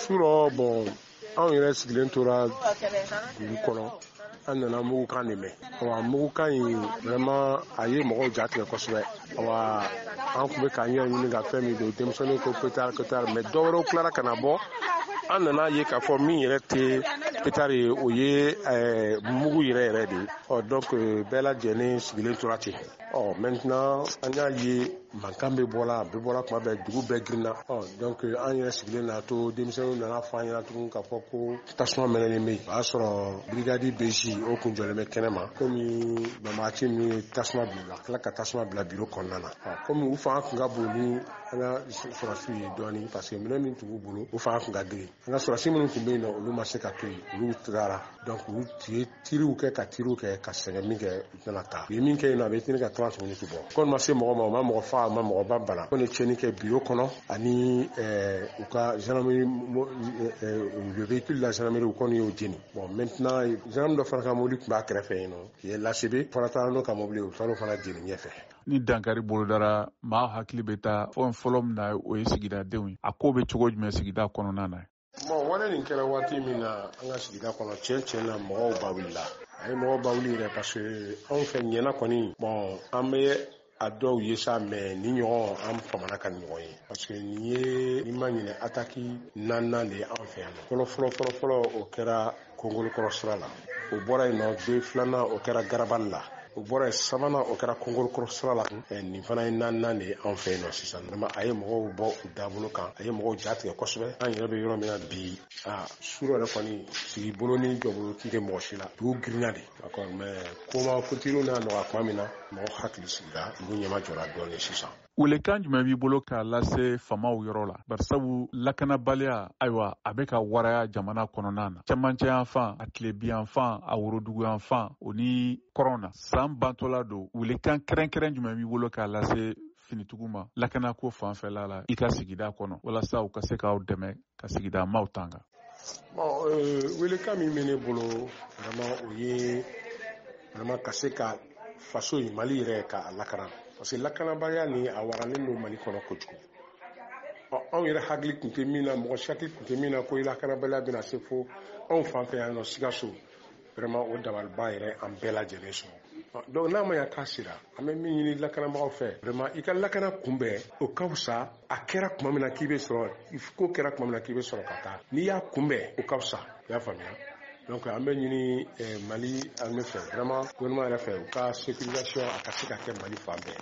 Su rɔ, bon, anw yɛrɛ sigilen tora dugu kɔnɔ, an nana mugukan de mɛn. Awa, mugukan in, vraiment, a ye mɔgɔw ja tigɛ kosɛbɛ. Awa, an tun bɛ k'an yɛrɛ ɲini ka fɛn min don, denmisɛnninw ko pétard, pétard, mais dɔw wɛrɛw tilara ka na bɔ. An nana ye k'a fɔ min yɛrɛ tɛ pétard ye, o ye mugu yɛrɛ yɛrɛ de ye. Ɔ, donc bɛɛ lajɛlen sigilen tora ten. Ɔ, maintenant an y'a ye mankan bɛ bɔla, a bɛ bɔra tuma bɛɛ, dugu bɛɛ girinna. Ɔ, donc an yɛrɛ sigilen na to, denmisɛnninw nana fɔ an ɲɛna tugun k'a fɔ ko tasuma mɛnɛlen bɛ yen. O y'a sɔrɔ brigade BJ, o kun jɔlen bɛ kɛnɛ ma. Komi banbagaci ninnu ye tasuma bila u la, tila ka tasuma bila biro kɔnɔna na, komi u fanga tun ka bon ni an ka sɔrɔsiw ye dɔɔni, parce que minɛn min tun b'u bolo, o fanga tun ka girin. An ka sɔrɔsi minnu tun bɛ yen nɔ, olu ma se ka to yen, olu tagara. Donc u ye tiriw kɛ ka tiriw kɛ ka sɛgɛn min kɛ, u tɛna taa. U ye min kɛ yen nɔ, a bɛ tini ka 30 minutes bɔ. Kɔni ma se mɔgɔ ma, u ma mɔgɔ faga, u ma mɔgɔ ba bana. Ko ni tiɲɛni kɛ biro kɔnɔ ani u ka gendarmerie, le véhicule de la gendarmerie, u kɔni y'o jeni. Bon, maintenant gendarme dɔ fana ka mobili tun b'a kɛrɛfɛ yen nɔ, qui est l'ACB fana taara n'o ka mobili, u taara o fana jeni ɲɛfɛ. Ni dankari bolodara, maa hakili bɛ taa fɛn fɔlɔ min na, o ye sigidadenw ye. A ko bɛ cogo jumɛn sigida kɔnɔna na? Bon, wale nin kɛra waati min na an ka sigida kɔnɔ, tiɲɛ tiɲɛ na, mɔgɔw ba wulila. A ye mɔgɔw ba wuli yɛrɛ, parce que anw fɛ ɲɛna kɔni, bon, an bɛ a dɔw ye sa, mais ni ɲɔgɔn an famana ka ɲɔgɔn ye, parce que nin ye, ni ma ɲinɛ, attaque naaninan de ye an fɛ yan nɔ. Fɔlɔ fɔlɔ fɔlɔ fɔlɔ, o kɛra Kongolokɔrɔ sira la. O bɔra yen nɔ, den filanan, o kɛra Garabali la. O bɔra yen, sabanan, o kɛra Kongolokɔrɔ sira la. Nin fana ye naaninan de ye anw fɛ yen nɔ sisan. Vraiment, a ye mɔgɔw bɔ u dabolo kan, a ye mɔgɔw ja tigɛ kosɛbɛ. An yɛrɛ bɛ yɔrɔ min na bi, a su yɛrɛ kɔni, sigi bolo ni jɔbolo tun tɛ mɔgɔ si la, dugu girinna de. D'accord, mais koma kotiriw n'a nɔgɔya tuma min na, mɔgɔ hakili sigira, dugu ɲɛma jɔra dɔɔnin sisan. Welekan jumɛn b'i bolo k'a lase famaw yɔrɔ la? Barisabu lakanabaliya, ayiwa, a bɛ ka waraya jamana kɔnɔna na, cɛmancɛ yanfan, a tilebiyanfan, a woroduguyanfan, o ni kɔrɔn na. San bantɔla don, welekan kɛrɛnkɛrɛn jumɛn b'i bolo k'a lase finitigiw ma lakanako fanfɛla la i ka sigida kɔnɔ, walasa u ka se k'aw dɛmɛ ka sigida maaw tanga? Bon, welekan min bɛ ne bolo vraiment, o ye vraiment ka se ka faso in, Mali yɛrɛ, k'a lakana, parce que lakanabaliya ni a waralen don Mali kɔnɔ kojugu. Ɔ, anw yɛrɛ hakili tun tɛ min na, mɔgɔ si hakili tun tɛ min na ko lakanabaliya bɛna se fo anw fan fɛ yan nɔ Sikaso. Vraiment, o dabaliba yɛrɛ an bɛɛ lajɛlen sɔrɔ. Donc n'a ma ɲa k'a sera, an bɛ min ɲini lakanabagaw fɛ, vraiment, i ka lakana kunbɛn, o ka fisa. A kɛra tuma min na k'i bɛ sɔrɔ, ko kɛra tuma min na k'i bɛ sɔrɔ ka taa, n'i y'a kunbɛn, o ka fisa. I y'a faamuya? Donc an bɛ ɲini Mali armée fɛ, vraiment gouvernement yɛrɛ fɛ, u ka sécurisation a ka se ka kɛ Mali fan bɛɛ.